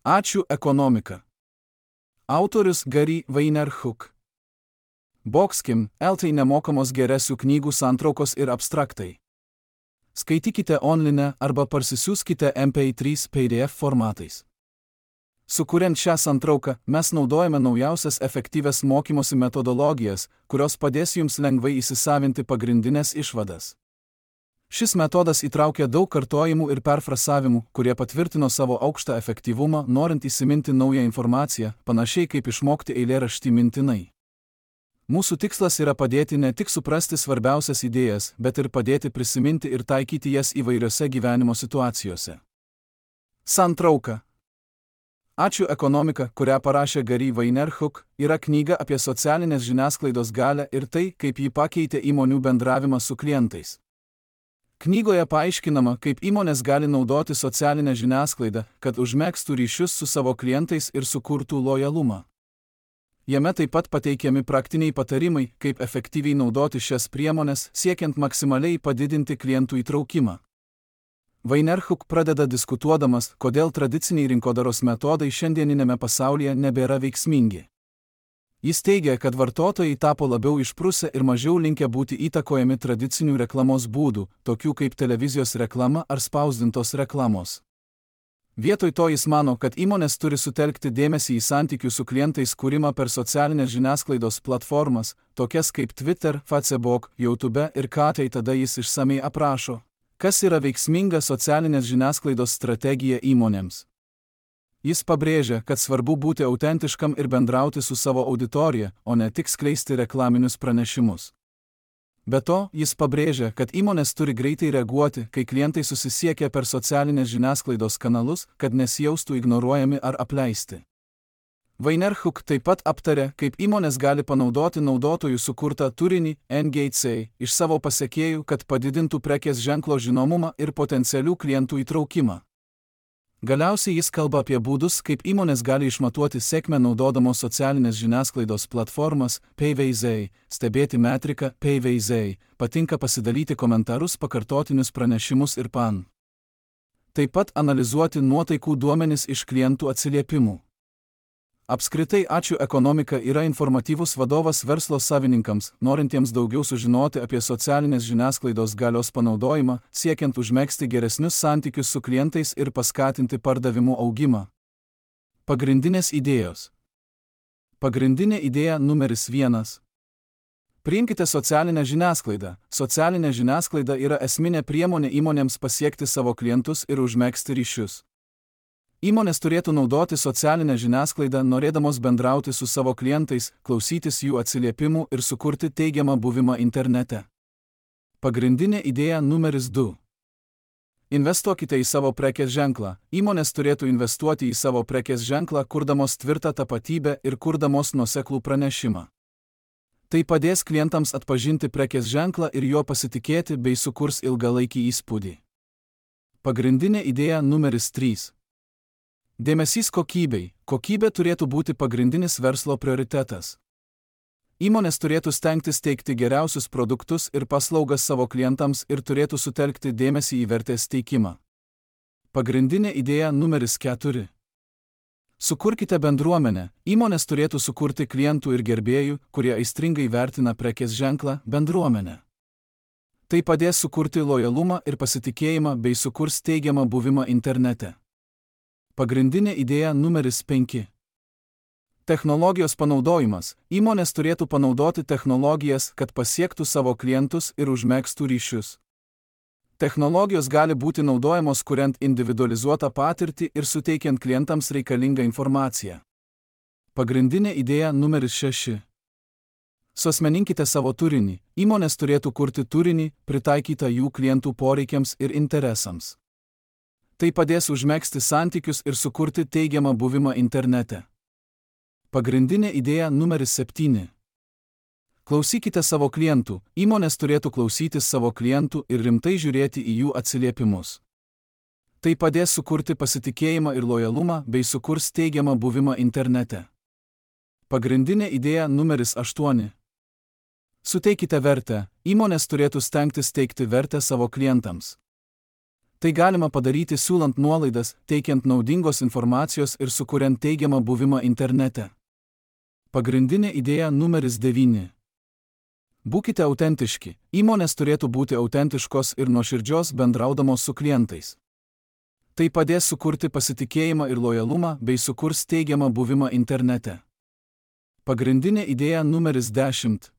Ačiū ekonomika. Autorius Gary Vaynerchuk. Boxkim, LT nemokamos geresių knygų santraukos ir abstraktai. Skaitykite online arba parsisiųskite MP3 PDF formatais. Sukuriant šią santrauką, mes naudojame naujausias efektyvias mokymosi metodologijas, kurios padės jums lengvai įsisavinti pagrindinės išvadas. Šis metodas įtraukia daug kartojimų ir perfrasavimų, kurie patvirtino savo aukštą efektyvumą, norint įsiminti naują informaciją, panašiai kaip išmokti eilėraštį mintinai. Mūsų tikslas yra padėti ne tik suprasti svarbiausias idėjas, bet ir padėti prisiminti ir taikyti jas įvairiose gyvenimo situacijose. Santrauka. Ačiū ekonomika, kurią parašė Gary Vaynerchuk, yra knyga apie socialinės žiniasklaidos galią ir tai, kaip ji pakeitė įmonių bendravimą su klientais. Knygoje paaiškinama, kaip įmonės gali naudoti socialinę žiniasklaidą, kad užmegztų ryšius su savo klientais ir sukurtų lojalumą. Jame taip pat pateikiami praktiniai patarimai, kaip efektyviai naudoti šias priemones, siekiant maksimaliai padidinti klientų įtraukimą. Vaynerchuk pradeda diskutuodamas, kodėl tradiciniai rinkodaros metodai šiandieninėme pasaulyje nebėra veiksmingi. Jis teigia, kad vartotojai tapo labiau išprusę ir mažiau linkę būti įtakojami tradicinių reklamos būdų, tokių kaip televizijos reklama ar spausdintos reklamos. Vietoj to jis mano, kad įmonės turi sutelkti dėmesį į santykių su klientais kūrimą per socialinės žiniasklaidos platformas, tokias kaip Twitter, Facebook, YouTube ir ką tai tada jis išsamei aprašo, kas yra veiksminga socialinės žiniasklaidos strategija įmonėms. Jis pabrėžia, kad svarbu būti autentiškam ir bendrauti su savo auditorija, o ne tik skleisti reklaminius pranešimus. Be to, jis pabrėžia, kad įmonės turi greitai reaguoti, kai klientai susisiekia per socialinės žiniasklaidos kanalus, kad nesijaustų ignoruojami ar apleisti. Vaynerchuk taip pat aptarė, kaip įmonės gali panaudoti naudotojų sukurtą turinį NGC iš savo pasekėjų, kad padidintų prekės ženklo žinomumą ir potencialių klientų įtraukimą. Galiausiai jis kalba apie būdus, kaip įmonės gali išmatuoti sėkmę naudodamos socialinės žiniasklaidos platformas, PVZ, stebėti metriką, PVZ, patinka pasidalyti komentarus, pakartotinius pranešimus ir pan. Taip pat analizuoti nuotaikų duomenis iš klientų atsiliepimų. Apskritai Ačiū ekonomika yra informatyvus vadovas verslo savininkams, norintiems daugiau sužinoti apie socialinės žiniasklaidos galios panaudojimą, siekiant užmegzti geresnius santykius su klientais ir paskatinti pardavimų augimą. Pagrindinės idėjos. Pagrindinė idėja numeris 1. Priimkite socialinę žiniasklaidą. Socialinė žiniasklaida yra esminė priemonė įmonėms pasiekti savo klientus ir užmegzti ryšius. Įmonės turėtų naudoti socialinę žiniasklaidą, norėdamos bendrauti su savo klientais, klausytis jų atsiliepimų ir sukurti teigiamą buvimą internete. Pagrindinė idėja numeris 2. Investuokite į savo prekės ženklą. Įmonės turėtų investuoti į savo prekės ženklą, kurdamos tvirtą tapatybę ir kurdamos nuoseklų pranešimą. Tai padės klientams atpažinti prekės ženklą ir juo pasitikėti bei sukurs ilgalaikį įspūdį. Pagrindinė idėja numeris 3. Dėmesys kokybei. Kokybė turėtų būti pagrindinis verslo prioritetas. Įmonės turėtų stengtis teikti geriausius produktus ir paslaugas savo klientams ir turėtų sutelkti dėmesį į vertės teikimą. Pagrindinė idėja numeris 4. Sukurkite bendruomenę. Įmonės turėtų sukurti klientų ir gerbėjų, kurie aistringai vertina prekės ženklą, bendruomenę. Tai padės sukurti lojalumą ir pasitikėjimą bei sukurs teigiamą buvimą internete. Pagrindinė idėja numeris 5. Technologijos panaudojimas. Įmonės turėtų panaudoti technologijas, kad pasiektų savo klientus ir užmegztų ryšius. Technologijos gali būti naudojamos kuriant individualizuotą patirtį ir suteikiant klientams reikalingą informaciją. Pagrindinė idėja numeris 6. Suasmeninkite savo turinį. Įmonės turėtų kurti turinį, pritaikytą jų klientų poreikiams ir interesams. Tai padės užmegzti santykius ir sukurti teigiamą buvimą internete. Pagrindinė idėja numeris 7. Klausykite savo klientų. Įmonės turėtų klausytis savo klientų ir rimtai žiūrėti į jų atsiliepimus. Tai padės sukurti pasitikėjimą ir lojalumą bei sukurs teigiamą buvimą internete. Pagrindinė idėja numeris 8. Suteikite vertę. Įmonės turėtų stengtis teikti vertę savo klientams. Tai galima padaryti siūlant nuolaidas, teikiant naudingos informacijos ir sukuriant teigiamą buvimą internete. Pagrindinė idėja numeris 9. Būkite autentiški. Įmonės turėtų būti autentiškos ir nuoširdžios bendraudamos su klientais. Tai padės sukurti pasitikėjimą ir lojalumą bei sukurs teigiamą buvimą internete. Pagrindinė idėja numeris 10.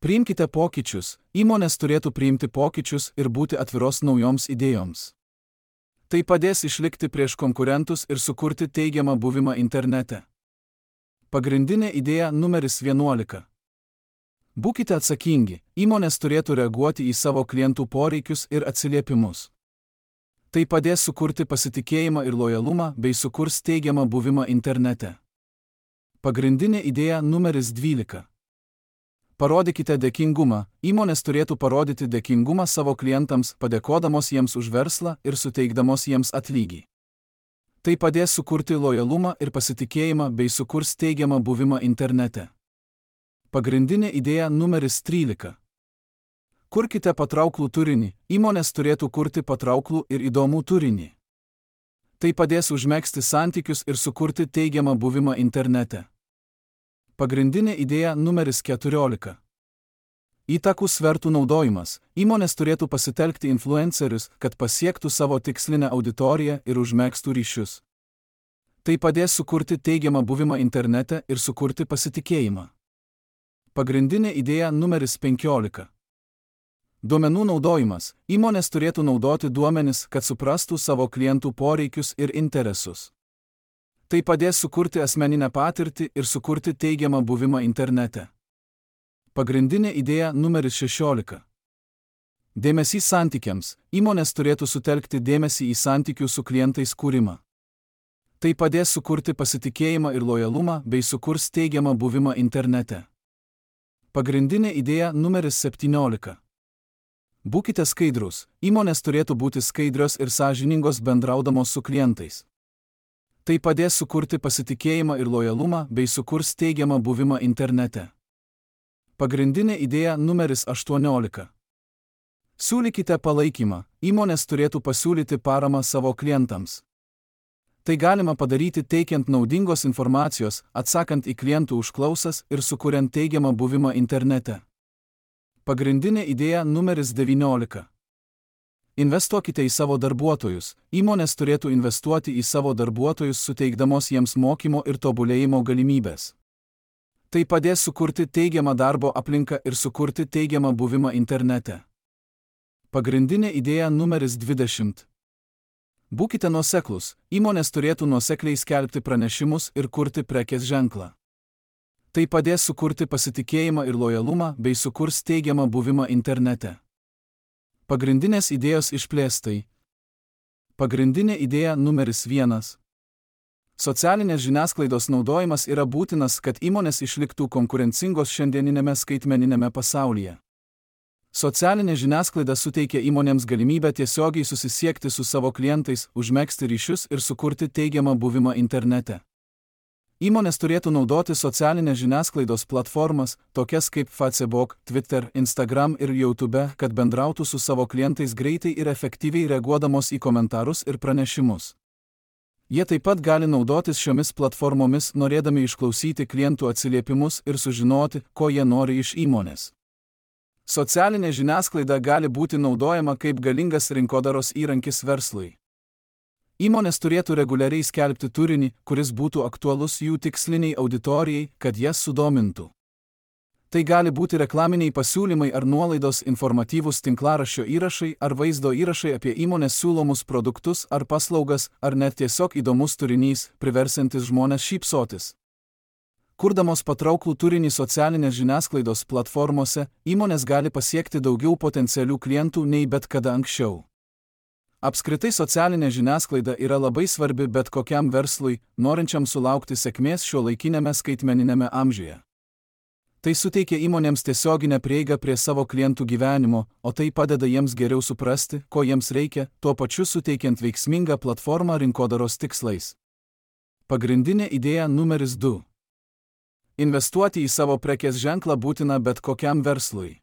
Priimkite pokyčius. Įmonės turėtų priimti pokyčius ir būti atviros naujoms idėjoms. Tai padės išlikti prieš konkurentus ir sukurti teigiamą buvimą internete. Pagrindinė idėja numeris 11. Būkite atsakingi. Įmonės turėtų reaguoti į savo klientų poreikius ir atsiliepimus. Tai padės sukurti pasitikėjimą ir lojalumą bei sukurs teigiamą buvimą internete. Pagrindinė idėja numeris 12. Parodykite dėkingumą. Įmonės turėtų parodyti dėkingumą savo klientams, padėkodamos jiems už verslą ir suteikdamos jiems atlygį. Tai padės sukurti lojalumą ir pasitikėjimą bei sukurs teigiamą buvimą internete. Pagrindinė idėja numeris 13. Kurkite patrauklų turinį. Įmonės turėtų kurti patrauklų ir įdomų turinį. Tai padės užmegzti santykius ir sukurti teigiamą buvimą internete. Pagrindinė idėja numeris 14. Įtakų svertų naudojimas. Įmonės turėtų pasitelkti influencerius, kad pasiektų savo tikslinę auditoriją ir užmegztų ryšius. Tai padės sukurti teigiamą buvimą internete ir sukurti pasitikėjimą. Pagrindinė idėja numeris 15. Duomenų naudojimas. Įmonės turėtų naudoti duomenis, kad suprastų savo klientų poreikius ir interesus. Tai padės sukurti asmeninę patirtį ir sukurti teigiamą buvimą internete. Pagrindinė idėja numeris 16. Dėmesys santykiams. Įmonės turėtų sutelkti dėmesį į santykių su klientais kūrimą. Tai padės sukurti pasitikėjimą ir lojalumą bei sukurs teigiamą buvimą internete. Pagrindinė idėja numeris 17. Būkite skaidrūs. Įmonės turėtų būti skaidrios ir sąžiningos bendraudamos su klientais. Tai padės sukurti pasitikėjimą ir lojalumą bei sukurs teigiamą buvimą internete. Pagrindinė idėja numeris 18. Siūlykite palaikymą. Įmonės turėtų pasiūlyti paramą savo klientams. Tai galima padaryti teikiant naudingos informacijos, atsakant į klientų užklausas ir sukuriant teigiamą buvimą internete. Pagrindinė idėja numeris 19. Investuokite į savo darbuotojus. Įmonės turėtų investuoti į savo darbuotojus, suteikdamos jiems mokymo ir tobulėjimo galimybės. Tai padės sukurti teigiamą darbo aplinką ir sukurti teigiamą buvimą internete. Pagrindinė idėja numeris 20. Būkite nuoseklūs. Įmonės turėtų nuosekliai skelbti pranešimus ir kurti prekės ženklą. Tai padės sukurti pasitikėjimą ir lojalumą bei sukurs teigiamą buvimą internete. Pagrindinės idėjos išplėstai. Pagrindinė idėja numeris 1. Socialinės žiniasklaidos naudojimas yra būtinas, kad įmonės išliktų konkurencingos šiandieninėme skaitmeninėme pasaulyje. Socialinė žiniasklaida suteikia įmonėms galimybę tiesiogiai susisiekti su savo klientais, užmegzti ryšius ir sukurti teigiamą buvimą internete. Įmonės turėtų naudoti socialinės žiniasklaidos platformas, tokias kaip Facebook, Twitter, Instagram ir YouTube, kad bendrautų su savo klientais greitai ir efektyviai reaguodamos į komentarus ir pranešimus. Jie taip pat gali naudotis šiomis platformomis, norėdami išklausyti klientų atsiliepimus ir sužinoti, ko jie nori iš įmonės. Socialinė žiniasklaida gali būti naudojama kaip galingas rinkodaros įrankis verslui. Įmonės turėtų reguliariai skelbti turinį, kuris būtų aktualus jų tiksliniai auditorijai, kad jas sudomintų. Tai gali būti reklaminiai pasiūlymai ar nuolaidos, informatyvūs tinklaraščio įrašai ar vaizdo įrašai apie įmonės siūlomus produktus ar paslaugas, ar net tiesiog įdomus turinys, priversiantis žmones šypsotis. Kurdamos patrauklų turinį socialinės žiniasklaidos platformose, įmonės gali pasiekti daugiau potencialių klientų nei bet kada anksčiau. Apskritai socialinė žiniasklaida yra labai svarbi bet kokiam verslui, norinčiam sulaukti sėkmės šiuolaikinėme skaitmeninėme amžiuje. Tai suteikia įmonėms tiesioginę prieigą prie savo klientų gyvenimo, o tai padeda jiems geriau suprasti, ko jiems reikia, tuo pačiu suteikiant veiksmingą platformą rinkodaros tikslais. Pagrindinė idėja numeris 2. Investuoti į savo prekės ženklą būtina bet kokiam verslui.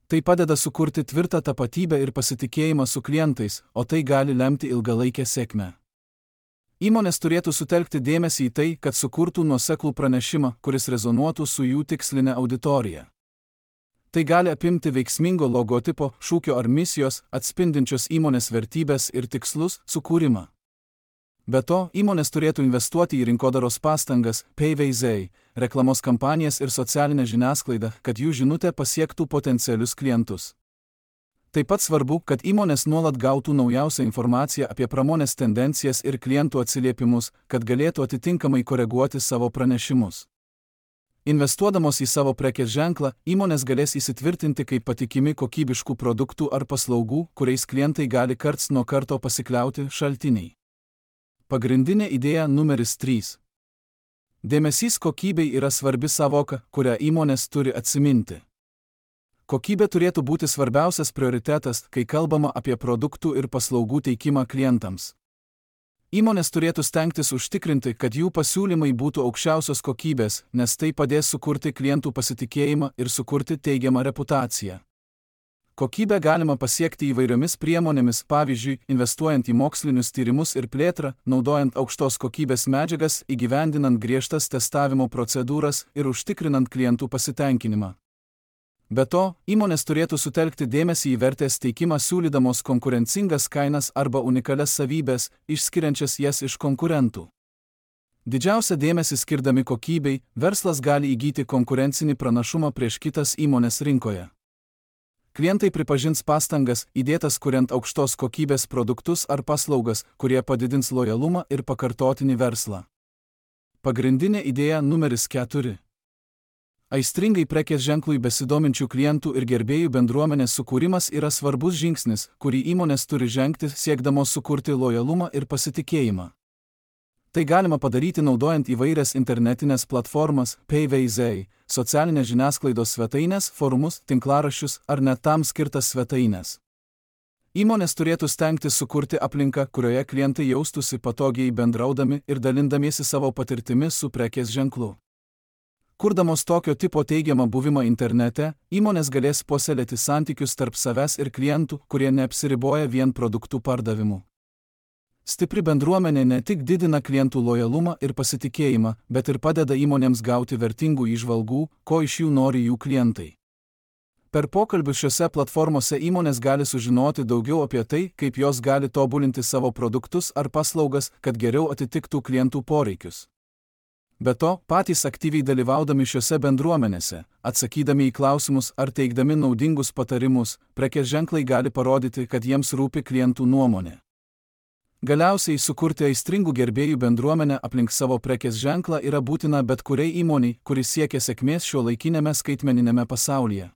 Tai padeda sukurti tvirtą tapatybę ir pasitikėjimą su klientais, o tai gali lemti ilgalaikę sėkmę. Įmonės turėtų sutelkti dėmesį į tai, kad sukurtų nuoseklų pranešimą, kuris rezonuotų su jų tiksline auditorija. Tai gali apimti veiksmingo logotipo, šūkio ar misijos, atspindinčios įmonės vertybės ir tikslus, sukūrimą. Be to, įmonės turėtų investuoti į rinkodaros pastangas, PVZ, reklamos kampanijas ir socialinę žiniasklaidą, kad jų žinutė pasiektų potencialius klientus. Taip pat svarbu, kad įmonės nuolat gautų naujausią informaciją apie pramonės tendencijas ir klientų atsiliepimus, kad galėtų atitinkamai koreguoti savo pranešimus. Investuodamos į savo prekės ženklą, įmonės galės įsitvirtinti kaip patikimi kokybiškų produktų ar paslaugų, kuriais klientai gali karts nuo karto pasikliauti šaltiniai. Pagrindinė idėja numeris 3. Dėmesys kokybei yra svarbi savoka, kurią įmonės turi atsiminti. Kokybė turėtų būti svarbiausias prioritetas, kai kalbama apie produktų ir paslaugų teikimą klientams. Įmonės turėtų stengtis užtikrinti, kad jų pasiūlymai būtų aukščiausios kokybės, nes tai padės sukurti klientų pasitikėjimą ir sukurti teigiamą reputaciją. Kokybę galima pasiekti įvairiomis priemonėmis, pavyzdžiui, investuojant į mokslinius tyrimus ir plėtrą, naudojant aukštos kokybės medžiagas, įgyvendinant griežtas testavimo procedūras ir užtikrinant klientų pasitenkinimą. Be to, įmonės turėtų sutelkti dėmesį į vertės teikimą siūlydamos konkurencingas kainas arba unikalias savybės, išskiriančias jas iš konkurentų. Didžiausią dėmesį skirdami kokybei, verslas gali įgyti konkurencinį pranašumą prieš kitas įmonės rinkoje. Klientai pripažins pastangas, įdėtas kuriant aukštos kokybės produktus ar paslaugas, kurie padidins lojalumą ir pakartotinį verslą. Pagrindinė idėja numeris 4. Aistringai prekės ženklui besidominčių klientų ir gerbėjų bendruomenės sukūrimas yra svarbus žingsnis, kurį įmonės turi žengti, siekdamos sukurti lojalumą ir pasitikėjimą. Tai galima padaryti naudojant įvairias internetinės platformas, PVZ, socialinės žiniasklaidos svetainės, forumus, tinklaraščius ar net tam skirtas svetainės. Įmonės turėtų stengtis sukurti aplinką, kurioje klientai jaustųsi patogiai bendraudami ir dalindamiesi savo patirtimi su prekės ženklu. Kurdamos tokio tipo teigiamą buvimą internete, įmonės galės puoselėti santykius tarp savęs ir klientų, kurie neapsiriboja vien produktų pardavimu. Stipri bendruomenė ne tik didina klientų lojalumą ir pasitikėjimą, bet ir padeda įmonėms gauti vertingų įžvalgų, ko iš jų nori jų klientai. Per pokalbius šiose platformose įmonės gali sužinoti daugiau apie tai, kaip jos gali tobulinti savo produktus ar paslaugas, kad geriau atitiktų klientų poreikius. Be to, patys aktyviai dalyvaudami šiose bendruomenėse, atsakydami į klausimus ar teikdami naudingus patarimus, prekės ženklai gali parodyti, kad jiems rūpi klientų nuomonė. Galiausiai sukurti aistringų gerbėjų bendruomenę aplink savo prekės ženklą yra būtina bet kuriai įmoniai, kuris siekia sėkmės šiuolaikinėme skaitmeniniame pasaulyje.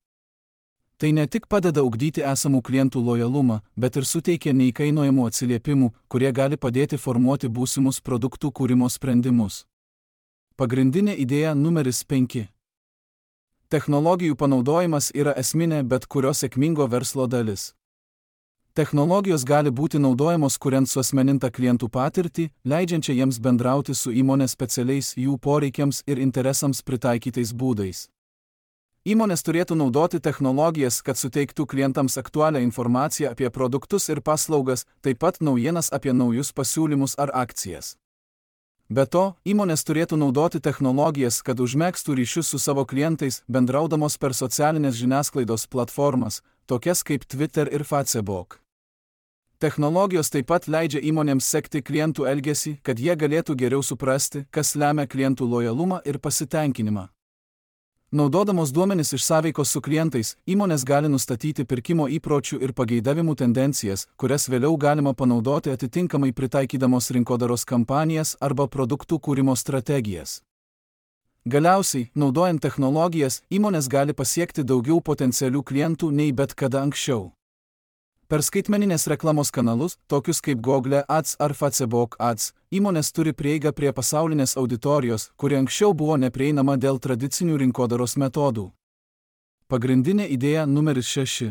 Tai ne tik padeda ugdyti esamų klientų lojalumą, bet ir suteikia neįkainojamų atsiliepimų, kurie gali padėti formuoti būsimus produktų kūrimo sprendimus. Pagrindinė idėja numeris 5. Technologijų panaudojimas yra esminė bet kurio sėkmingo verslo dalis. Technologijos gali būti naudojamos kuriant suasmenintą klientų patirtį, leidžiančią jiems bendrauti su įmonės specialiais jų poreikiams ir interesams pritaikytais būdais. Įmonės turėtų naudoti technologijas, kad suteiktų klientams aktualią informaciją apie produktus ir paslaugas, taip pat naujienas apie naujus pasiūlymus ar akcijas. Be to, įmonės turėtų naudoti technologijas, kad užmegztų ryšius su savo klientais, bendraudamos per socialinės žiniasklaidos platformas, tokias kaip Twitter ir Facebook. Technologijos taip pat leidžia įmonėms sekti klientų elgesį, kad jie galėtų geriau suprasti, kas lemia klientų lojalumą ir pasitenkinimą. Naudodamos duomenis iš sąveikos su klientais, įmonės gali nustatyti pirkimo įpročių ir pageidavimų tendencijas, kurias vėliau galima panaudoti atitinkamai pritaikydamos rinkodaros kampanijas arba produktų kūrimo strategijas. Galiausiai, naudojant technologijas, įmonės gali pasiekti daugiau potencialių klientų nei bet kada anksčiau. Per skaitmeninės reklamos kanalus, tokius kaip Google Ads ar Facebook Ads, įmonės turi prieigą prie pasaulinės auditorijos, kuri anksčiau buvo neprieinama dėl tradicinių rinkodaros metodų. Pagrindinė idėja numeris 6.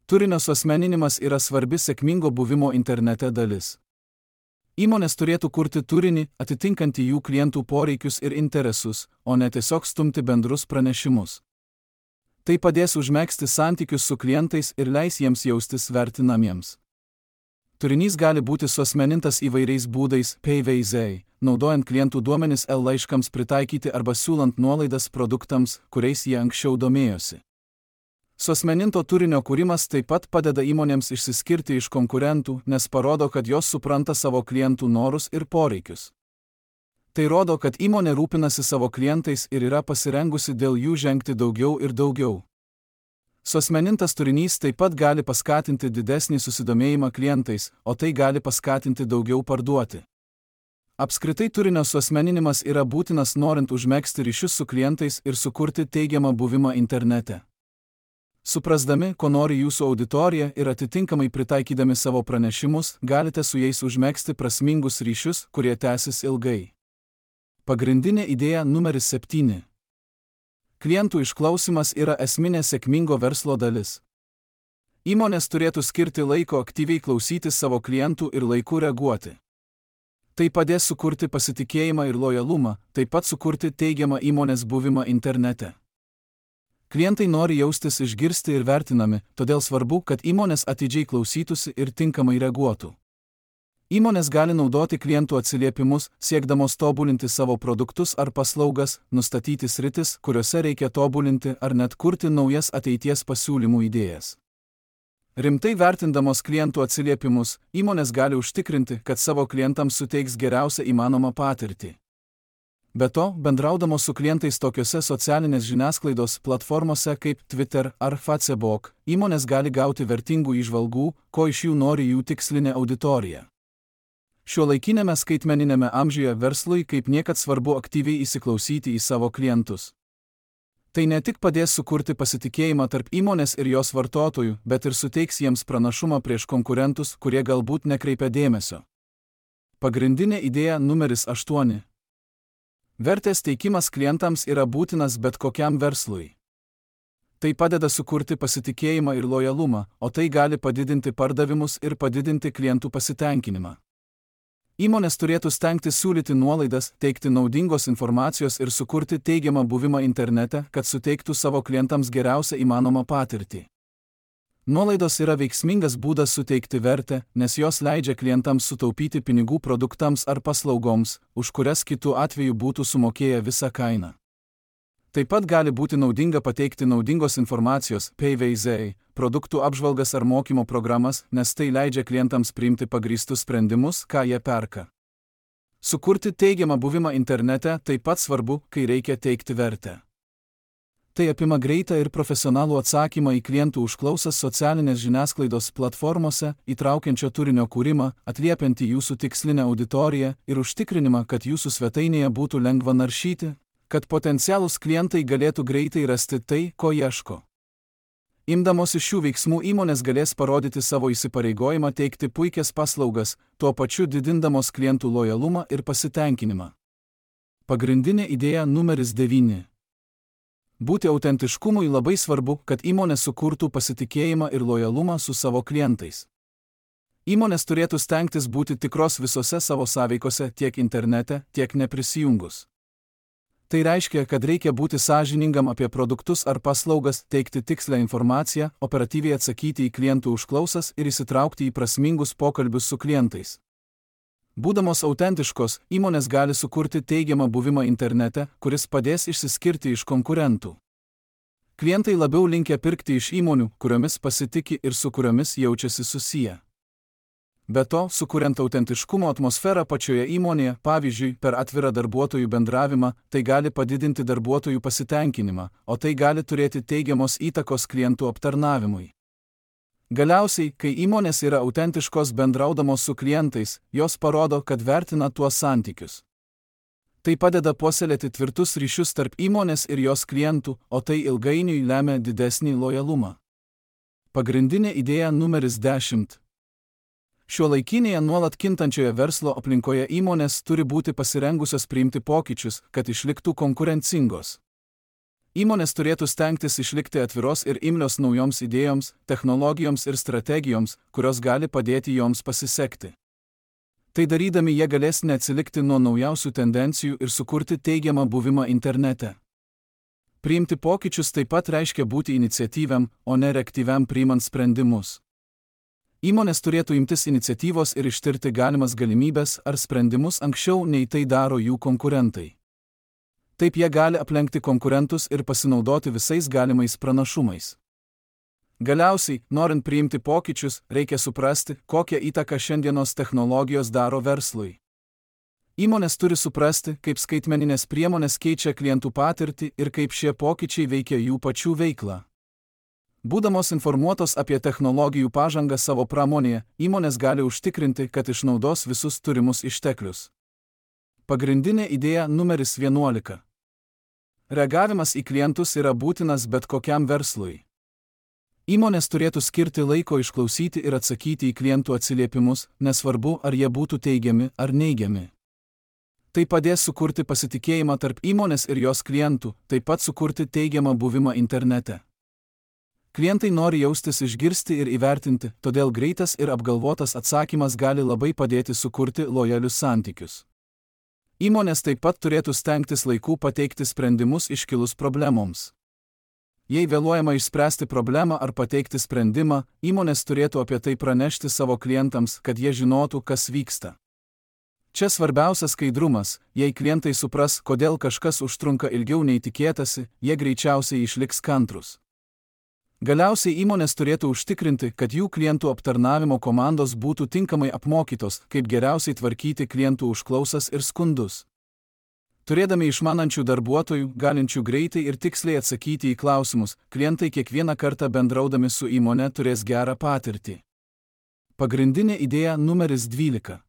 Turinio suasmeninimas yra svarbi sėkmingo buvimo internete dalis. Įmonės turėtų kurti turinį, atitinkantį jų klientų poreikius ir interesus, o ne tiesiog stumti bendrus pranešimus. Tai padės užmegzti santykius su klientais ir leis jiems jaustis vertinamiems. Turinys gali būti suasmenintas įvairiais būdais, PVZ, naudojant klientų duomenis laiškams pritaikyti arba siūlant nuolaidas produktams, kuriais jie anksčiau domėjosi. Suasmeninto turinio kūrimas taip pat padeda įmonėms išsiskirti iš konkurentų, nes parodo, kad jos supranta savo klientų norus ir poreikius. Tai rodo, kad įmonė rūpinasi savo klientais ir yra pasirengusi dėl jų žengti daugiau ir daugiau. Suasmenintas turinys taip pat gali paskatinti didesnį susidomėjimą klientais, o tai gali paskatinti daugiau parduoti. Apskritai turinio suasmeninimas yra būtinas norint užmegzti ryšius su klientais ir sukurti teigiamą buvimą internete. Suprasdami, ko nori jūsų auditorija ir atitinkamai pritaikydami savo pranešimus, galite su jais užmegzti prasmingus ryšius, kurie tęsis ilgai. Pagrindinė idėja numeris 7. Klientų išklausymas yra esminė sėkmingo verslo dalis. Įmonės turėtų skirti laiko aktyviai klausytis savo klientų ir laiku reaguoti. Tai padės sukurti pasitikėjimą ir lojalumą, taip pat sukurti teigiamą įmonės buvimą internete. Klientai nori jaustis išgirsti ir vertinami, todėl svarbu, kad įmonės atidžiai klausytųsi ir tinkamai reaguotų. Įmonės gali naudoti klientų atsiliepimus, siekdamos tobulinti savo produktus ar paslaugas, nustatyti sritis, kuriuose reikia tobulinti ar net kurti naujas ateities pasiūlymų idėjas. Rimtai vertindamos klientų atsiliepimus, įmonės gali užtikrinti, kad savo klientams suteiks geriausią įmanomą patirtį. Be to, bendraudamos su klientais tokiose socialinės žiniasklaidos platformose kaip Twitter ar Facebook, įmonės gali gauti vertingų įžvalgų, ko iš jų nori jų tikslinė auditorija. Šiuolaikinėme skaitmeninėme amžiuje verslui kaip niekad svarbu aktyviai įsiklausyti į savo klientus. Tai ne tik padės sukurti pasitikėjimą tarp įmonės ir jos vartotojų, bet ir suteiks jiems pranašumą prieš konkurentus, kurie galbūt nekreipia dėmesio. Pagrindinė idėja numeris 8. Vertės teikimas klientams yra būtinas bet kokiam verslui. Tai padeda sukurti pasitikėjimą ir lojalumą, o tai gali padidinti pardavimus ir padidinti klientų pasitenkinimą. Įmonės turėtų stengtis siūlyti nuolaidas, teikti naudingos informacijos ir sukurti teigiamą buvimą internete, kad suteiktų savo klientams geriausią įmanomą patirtį. Nuolaidos yra veiksmingas būdas suteikti vertę, nes jos leidžia klientams sutaupyti pinigų produktams ar paslaugoms, už kurias kitu atveju būtų sumokėję visą kainą. Taip pat gali būti naudinga pateikti naudingos informacijos, PVZ, produktų apžvalgas ar mokymo programas, nes tai leidžia klientams priimti pagrįstus sprendimus, ką jie perka. Sukurti teigiamą buvimą internete taip pat svarbu, kai reikia teikti vertę. Tai apima greitą ir profesionalų atsakymą į klientų užklausas socialinės žiniasklaidos platformose, įtraukiančio turinio kūrimą, atliepiantį jūsų tikslinę auditoriją ir užtikrinimą, kad jūsų svetainėje būtų lengva naršyti, kad potencialūs klientai galėtų greitai rasti tai, ko ieško. Imdamosi šių veiksmų įmonės galės parodyti savo įsipareigojimą teikti puikias paslaugas, tuo pačiu didindamos klientų lojalumą ir pasitenkinimą. Pagrindinė idėja numeris 9. Būti autentiškumui labai svarbu, kad įmonė sukurtų pasitikėjimą ir lojalumą su savo klientais. Įmonės turėtų stengtis būti tikros visose savo sąveikose tiek internete, tiek neprisijungus. Tai reiškia, kad reikia būti sąžiningam apie produktus ar paslaugas, teikti tikslę informaciją, operatyviai atsakyti į klientų užklausas ir įsitraukti į prasmingus pokalbius su klientais. Būdamos autentiškos, įmonės gali sukurti teigiamą buvimą internete, kuris padės išsiskirti iš konkurentų. Klientai labiau linkę pirkti iš įmonių, kuriomis pasitiki ir su kuriomis jaučiasi susiję. Be to, sukuriant autentiškumo atmosferą pačioje įmonėje, pavyzdžiui, per atvirą darbuotojų bendravimą, tai gali padidinti darbuotojų pasitenkinimą, o tai gali turėti teigiamos įtakos klientų aptarnavimui. Galiausiai, kai įmonės yra autentiškos bendraudamos su klientais, jos parodo, kad vertina tuos santykius. Tai padeda puoselėti tvirtus ryšius tarp įmonės ir jos klientų, o tai ilgainiui lemia didesnį lojalumą. Pagrindinė idėja numeris 10. Šiuolaikinėje nuolat kintančioje verslo aplinkoje įmonės turi būti pasirengusios priimti pokyčius, kad išliktų konkurencingos. Įmonės turėtų stengtis išlikti atviros ir imlios naujoms idėjoms, technologijoms ir strategijoms, kurios gali padėti joms pasisekti. Tai darydami jie galės neatsilikti nuo naujausių tendencijų ir sukurti teigiamą buvimą internete. Priimti pokyčius taip pat reiškia būti iniciatyviam, o ne reaktyviam priimant sprendimus. Įmonės turėtų imtis iniciatyvos ir ištirti galimas galimybes ar sprendimus anksčiau nei tai daro jų konkurentai. Taip jie gali aplenkti konkurentus ir pasinaudoti visais galimais pranašumais. Galiausiai, norint priimti pokyčius, reikia suprasti, kokią įtaką šiandienos technologijos daro verslui. Įmonės turi suprasti, kaip skaitmeninės priemonės keičia klientų patirtį ir kaip šie pokyčiai veikia jų pačių veiklą. Būdamos informuotos apie technologijų pažangą savo pramonėje, įmonės gali užtikrinti, kad išnaudos visus turimus išteklius. Pagrindinė idėja numeris 11. Reagavimas į klientus yra būtinas bet kokiam verslui. Įmonės turėtų skirti laiko išklausyti ir atsakyti į klientų atsiliepimus, nesvarbu, ar jie būtų teigiami ar neigiami. Tai padės sukurti pasitikėjimą tarp įmonės ir jos klientų, taip pat sukurti teigiamą buvimą internete. Klientai nori jaustis išgirsti ir įvertinti, todėl greitas ir apgalvotas atsakymas gali labai padėti sukurti lojalius santykius. Įmonės taip pat turėtų stengtis laiku pateikti sprendimus iškilus problemoms. Jei vėluojama išspręsti problemą ar pateikti sprendimą, įmonės turėtų apie tai pranešti savo klientams, kad jie žinotų, kas vyksta. Čia svarbiausia skaidrumas. Jei klientai supras, kodėl kažkas užtrunka ilgiau nei tikėtasi, jie greičiausiai išliks kantrūs. Galiausiai įmonės turėtų užtikrinti, kad jų klientų aptarnavimo komandos būtų tinkamai apmokytos, kaip geriausiai tvarkyti klientų užklausas ir skundus. Turėdami išmanančių darbuotojų, galinčių greitai ir tiksliai atsakyti į klausimus, klientai kiekvieną kartą bendraudami su įmone turės gerą patirtį. Pagrindinė idėja numeris 12.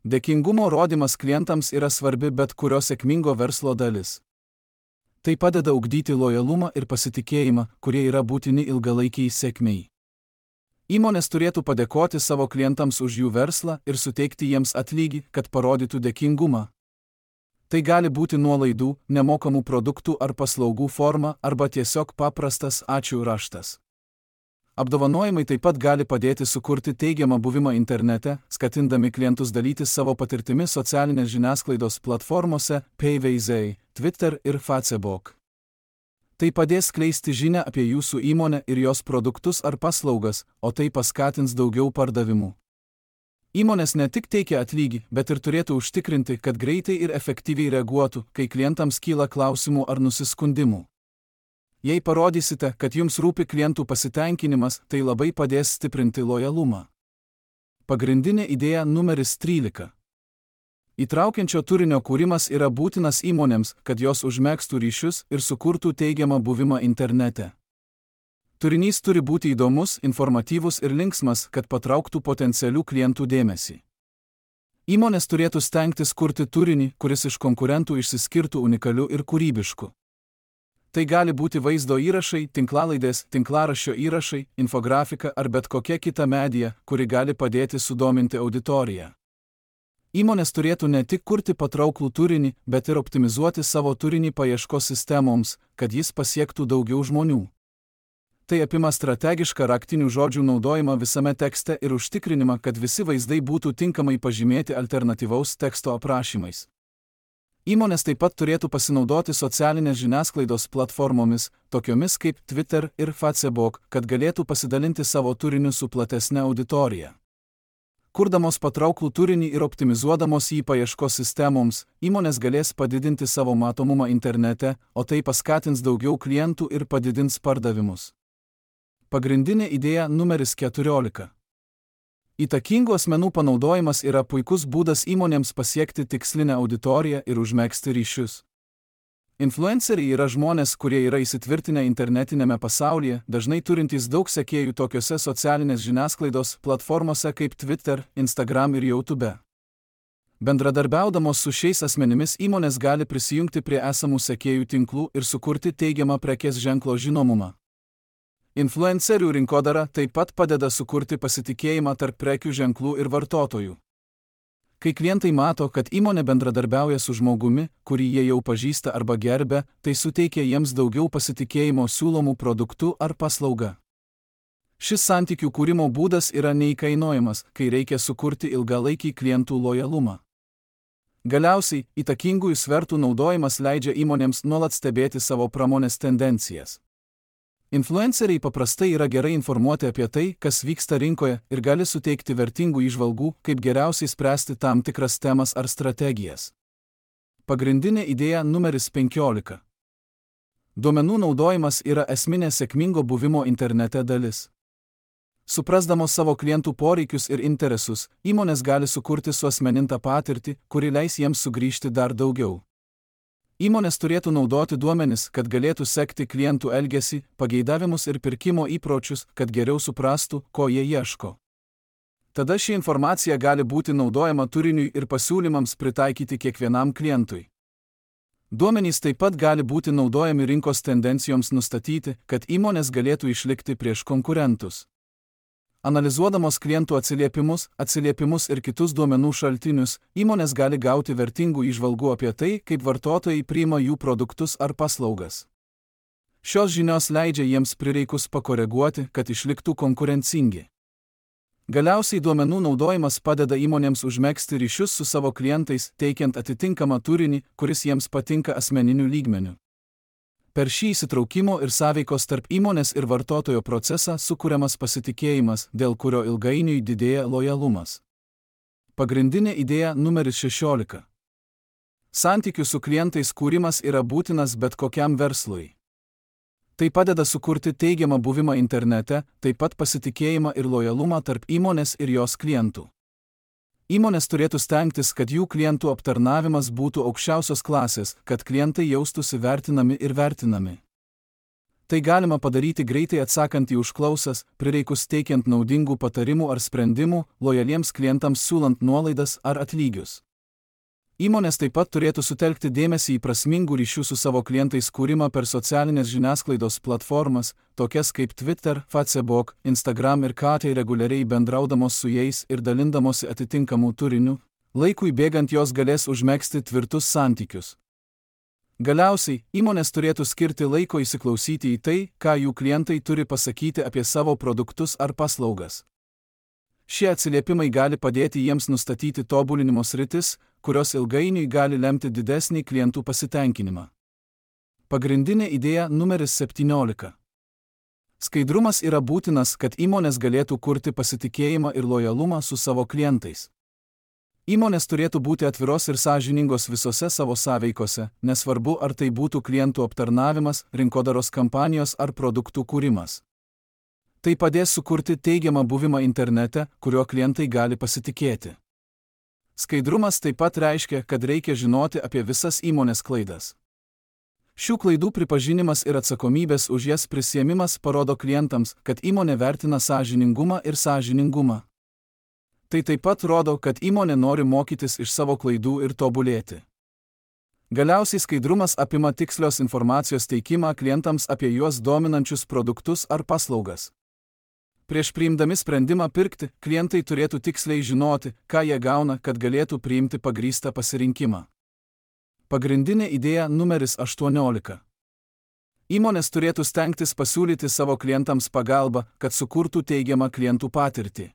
Dėkingumo rodymas klientams yra svarbi bet kurio sėkmingo verslo dalis. Tai padeda ugdyti lojalumą ir pasitikėjimą, kurie yra būtini ilgalaikiai sėkmei. Įmonės turėtų padėkoti savo klientams už jų verslą ir suteikti jiems atlygį, kad parodytų dėkingumą. Tai gali būti nuolaidų, nemokamų produktų ar paslaugų forma arba tiesiog paprastas ačiū raštas. Apdovanojimai taip pat gali padėti sukurti teigiamą buvimą internete, skatindami klientus dalytis savo patirtimi socialinės žiniasklaidos platformose Payveizai, Twitter ir Facebook. Tai padės skleisti žinią apie jūsų įmonę ir jos produktus ar paslaugas, o tai paskatins daugiau pardavimų. Įmonės ne tik teikia atlygį, bet ir turėtų užtikrinti, kad greitai ir efektyviai reaguotų, kai klientams kyla klausimų ar nusiskundimų. Jei parodysite, kad jums rūpi klientų pasitenkinimas, tai labai padės stiprinti lojalumą. Pagrindinė idėja numeris 13. Įtraukiančio turinio kūrimas yra būtinas įmonėms, kad jos užmegztų ryšius ir sukurtų teigiamą buvimą internete. Turinys turi būti įdomus, informatyvus ir linksmas, kad patrauktų potencialių klientų dėmesį. Įmonės turėtų stengtis kurti turinį, kuris iš konkurentų išsiskirtų unikaliu ir kūrybišku. Tai gali būti vaizdo įrašai, tinklalaidės, tinklaraščio įrašai, infografika ar bet kokia kita medija, kuri gali padėti sudominti auditoriją. Įmonės turėtų ne tik kurti patrauklų turinį, bet ir optimizuoti savo turinį paieškos sistemoms, kad jis pasiektų daugiau žmonių. Tai apima strategišką raktinių žodžių naudojimą visame tekste ir užtikrinimą, kad visi vaizdai būtų tinkamai pažymėti alternatyvaus teksto aprašymais. Įmonės taip pat turėtų pasinaudoti socialinės žiniasklaidos platformomis, tokiomis kaip Twitter ir Facebook, kad galėtų pasidalinti savo turiniu su platesne auditorija. Kurdamos patrauklų turinį ir optimizuodamos jį paieškos sistemoms, įmonės galės padidinti savo matomumą internete, o tai paskatins daugiau klientų ir padidins pardavimus. Pagrindinė idėja numeris 14. Įtakingų asmenų panaudojimas yra puikus būdas įmonėms pasiekti tikslinę auditoriją ir užmegzti ryšius. Influenceriai yra žmonės, kurie yra įsitvirtinę internetinėme pasaulyje, dažnai turintys daug sekėjų tokiose socialinės žiniasklaidos platformose kaip Twitter, Instagram ir YouTube. Bendradarbiaudamos su šiais asmenimis įmonės gali prisijungti prie esamų sekėjų tinklų ir sukurti teigiamą prekės ženklo žinomumą. Influencerių rinkodara taip pat padeda sukurti pasitikėjimą tarp prekių ženklų ir vartotojų. Kai klientai mato, kad įmonė bendradarbiauja su žmogumi, kurį jie jau pažįsta arba gerbia, tai suteikia jiems daugiau pasitikėjimo siūlomų produktų ar paslauga. Šis santykių kūrimo būdas yra neįkainojamas, kai reikia sukurti ilgalaikį klientų lojalumą. Galiausiai, įtakingųjų svertų naudojimas leidžia įmonėms nuolat stebėti savo pramonės tendencijas. Influenceriai paprastai yra gerai informuoti apie tai, kas vyksta rinkoje ir gali suteikti vertingų įžvalgų, kaip geriausiai spręsti tam tikras temas ar strategijas. Pagrindinė idėja numeris 15. Duomenų naudojimas yra esminė sėkmingo buvimo internete dalis. Suprasdamos savo klientų poreikius ir interesus, įmonės gali sukurti suasmenintą patirtį, kuri leis jiems sugrįžti dar daugiau. Įmonės turėtų naudoti duomenis, kad galėtų sekti klientų elgesį, pageidavimus ir pirkimo įpročius, kad geriau suprastų, ko jie ieško. Tada ši informacija gali būti naudojama turiniui ir pasiūlymams pritaikyti kiekvienam klientui. Duomenys taip pat gali būti naudojami rinkos tendencijoms nustatyti, kad įmonės galėtų išlikti prieš konkurentus. Analizuodamos klientų atsiliepimus ir kitus duomenų šaltinius, įmonės gali gauti vertingų įžvalgų apie tai, kaip vartotojai priima jų produktus ar paslaugas. Šios žinios leidžia jiems prireikus pakoreguoti, kad išliktų konkurencingi. Galiausiai duomenų naudojimas padeda įmonėms užmegzti ryšius su savo klientais, teikiant atitinkamą turinį, kuris jiems patinka asmeniniu lygmeniu. Per šį įsitraukimo ir sąveikos tarp įmonės ir vartotojo procesą sukuriamas pasitikėjimas, dėl kurio ilgainiui didėja lojalumas. Pagrindinė idėja numeris 16. Santykių su klientais kūrimas yra būtinas bet kokiam verslui. Tai padeda sukurti teigiamą buvimą internete, taip pat pasitikėjimą ir lojalumą tarp įmonės ir jos klientų. Įmonės turėtų stengtis, kad jų klientų aptarnavimas būtų aukščiausios klasės, kad klientai jaustųsi vertinami ir vertinami. Tai galima padaryti greitai atsakant į užklausas, prireikus teikiant naudingų patarimų ar sprendimų, lojaliems klientams siūlant nuolaidas ar atlygius. Įmonės taip pat turėtų sutelkti dėmesį į prasmingų ryšių su savo klientais kūrimą per socialinės žiniasklaidos platformas, tokias kaip Twitter, Facebook, Instagram ir KT, reguliariai bendraudamos su jais ir dalindamosi atitinkamų turinių, laikui bėgant jos galės užmegzti tvirtus santykius. Galiausiai, įmonės turėtų skirti laiko įsiklausyti į tai, ką jų klientai turi pasakyti apie savo produktus ar paslaugas. Šie atsiliepimai gali padėti jiems nustatyti tobulinimo sritis, kurios ilgainiui gali lemti didesnį klientų pasitenkinimą. Pagrindinė idėja numeris 17. Skaidrumas yra būtinas, kad įmonės galėtų kurti pasitikėjimą ir lojalumą su savo klientais. Įmonės turėtų būti atviros ir sąžiningos visose savo sąveikose, nesvarbu ar tai būtų klientų aptarnavimas, rinkodaros kampanijos ar produktų kūrimas. Tai padės sukurti teigiamą buvimą internete, kuriuo klientai gali pasitikėti. Skaidrumas taip pat reiškia, kad reikia žinoti apie visas įmonės klaidas. Šių klaidų pripažinimas ir atsakomybės už jas prisiėmimas parodo klientams, kad įmonė vertina sąžiningumą ir sąžiningumą. Tai taip pat rodo, kad įmonė nori mokytis iš savo klaidų ir tobulėti. Galiausiai skaidrumas apima tikslios informacijos teikimą klientams apie juos dominančius produktus ar paslaugas. Prieš priimdami sprendimą pirkti, klientai turėtų tiksliai žinoti, ką jie gauna, kad galėtų priimti pagrįstą pasirinkimą. Pagrindinė idėja numeris 18. Įmonės turėtų stengtis pasiūlyti savo klientams pagalbą, kad sukurtų teigiamą klientų patirtį.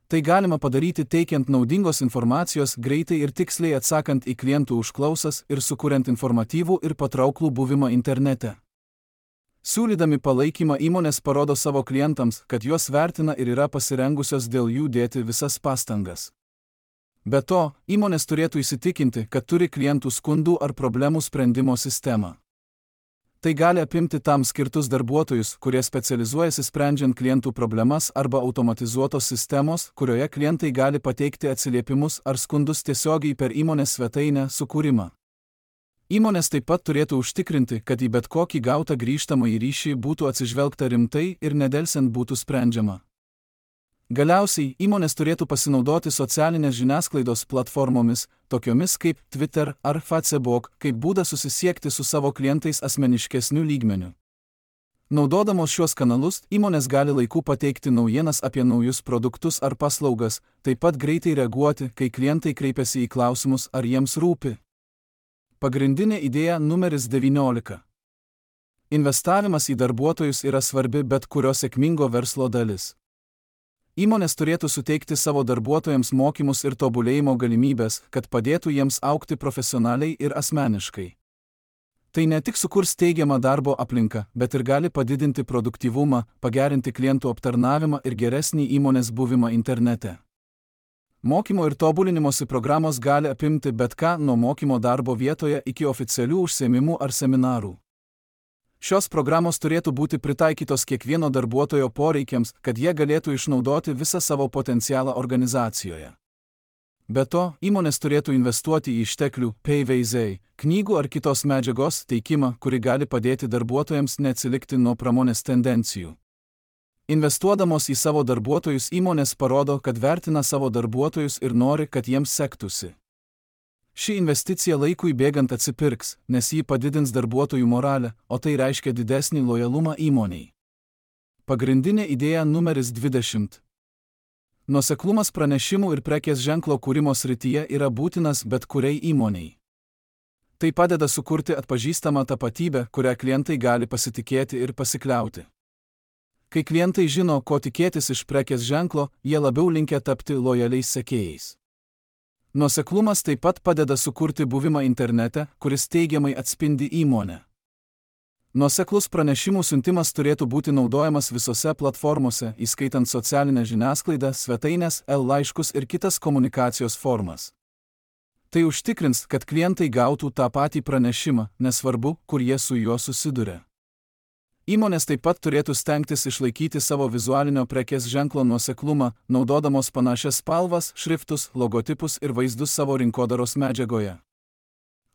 Tai galima padaryti teikiant naudingos informacijos greitai ir tiksliai atsakant į klientų užklausas ir sukuriant informatyvų ir patrauklų buvimą internete. Siūlydami palaikymą įmonės parodo savo klientams, kad juos vertina ir yra pasirengusios dėl jų dėti visas pastangas. Be to, įmonės turėtų įsitikinti, kad turi klientų skundų ar problemų sprendimo sistemą. Tai gali apimti tam skirtus darbuotojus, kurie specializuojasi sprendžiant klientų problemas arba automatizuotos sistemos, kurioje klientai gali pateikti atsiliepimus ar skundus tiesiogiai per įmonės svetainę sukūrimą. Įmonės taip pat turėtų užtikrinti, kad į bet kokį gautą grįžtamąjį ryšį būtų atsižvelgta rimtai ir nedelsiant būtų sprendžiama. Galiausiai, įmonės turėtų pasinaudoti socialinės žiniasklaidos platformomis, tokiomis kaip Twitter ar Facebook, kaip būdą susisiekti su savo klientais asmeniškesniu lygmeniu. Naudodamos šiuos kanalus, įmonės gali laiku pateikti naujienas apie naujus produktus ar paslaugas, taip pat greitai reaguoti, kai klientai kreipiasi į klausimus, ar jiems rūpi. Pagrindinė idėja numeris 19. Investavimas į darbuotojus yra svarbi bet kurio sėkmingo verslo dalis. Įmonės turėtų suteikti savo darbuotojams mokymus ir tobulėjimo galimybės, kad padėtų jiems augti profesionaliai ir asmeniškai. Tai ne tik sukurs teigiamą darbo aplinką, bet ir gali padidinti produktyvumą, pagerinti klientų aptarnavimą ir geresnį įmonės buvimą internete. Mokymo ir tobulinimosi programos gali apimti bet ką nuo mokymo darbo vietoje iki oficialių užsiėmimų ar seminarų. Šios programos turėtų būti pritaikytos kiekvieno darbuotojo poreikiams, kad jie galėtų išnaudoti visą savo potencialą organizacijoje. Be to, įmonės turėtų investuoti į išteklių, PVZ, knygų ar kitos medžiagos teikimą, kuri gali padėti darbuotojams neatsilikti nuo pramonės tendencijų. Investuodamos į savo darbuotojus įmonės parodo, kad vertina savo darbuotojus ir nori, kad jiems sektųsi. Ši investicija laikui bėgant atsipirks, nes ji padidins darbuotojų moralę, o tai reiškia didesnį lojalumą įmonei. Pagrindinė idėja numeris 20. Nuoseklumas pranešimų ir prekės ženklo kūrimo srityje yra būtinas bet kuriai įmonei. Tai padeda sukurti atpažįstamą tapatybę, kurią klientai gali pasitikėti ir pasikliauti. Kai klientai žino, ko tikėtis iš prekės ženklo, jie labiau linkę tapti lojaliais sekėjais. Nuoseklumas taip pat padeda sukurti buvimą internete, kuris teigiamai atspindi įmonę. Nuoseklus pranešimų siuntimas turėtų būti naudojamas visose platformose, įskaitant socialinę žiniasklaidą, svetaines, laiškus ir kitas komunikacijos formas. Tai užtikrins, kad klientai gautų tą patį pranešimą, nesvarbu, kur jie su juo susiduria. Įmonės taip pat turėtų stengtis išlaikyti savo vizualinio prekės ženklo nuoseklumą, naudodamos panašias spalvas, šriftus, logotipus ir vaizdus savo rinkodaros medžiagoje.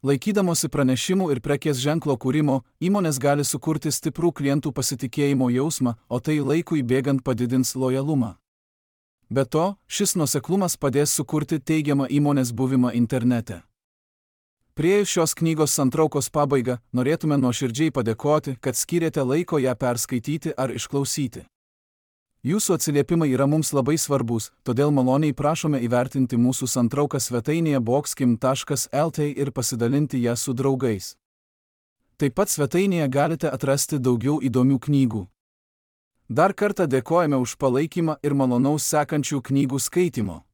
Laikydamosi pranešimų ir prekės ženklo kūrimo, įmonės gali sukurti stiprų klientų pasitikėjimo jausmą, o tai laikui bėgant padidins lojalumą. Be to, šis nuoseklumas padės sukurti teigiamą įmonės buvimą internete. Priėjus šios knygos santraukos pabaigą, norėtume nuoširdžiai padėkoti, kad skyrėte laiko ją perskaityti ar išklausyti. Jūsų atsiliepimai yra mums labai svarbus, todėl maloniai prašome įvertinti mūsų santrauką svetainėje boxkim.lt ir pasidalinti ją su draugais. Taip pat svetainėje galite atrasti daugiau įdomių knygų. Dar kartą dėkojame už palaikymą ir malonaus sekančių knygų skaitymo.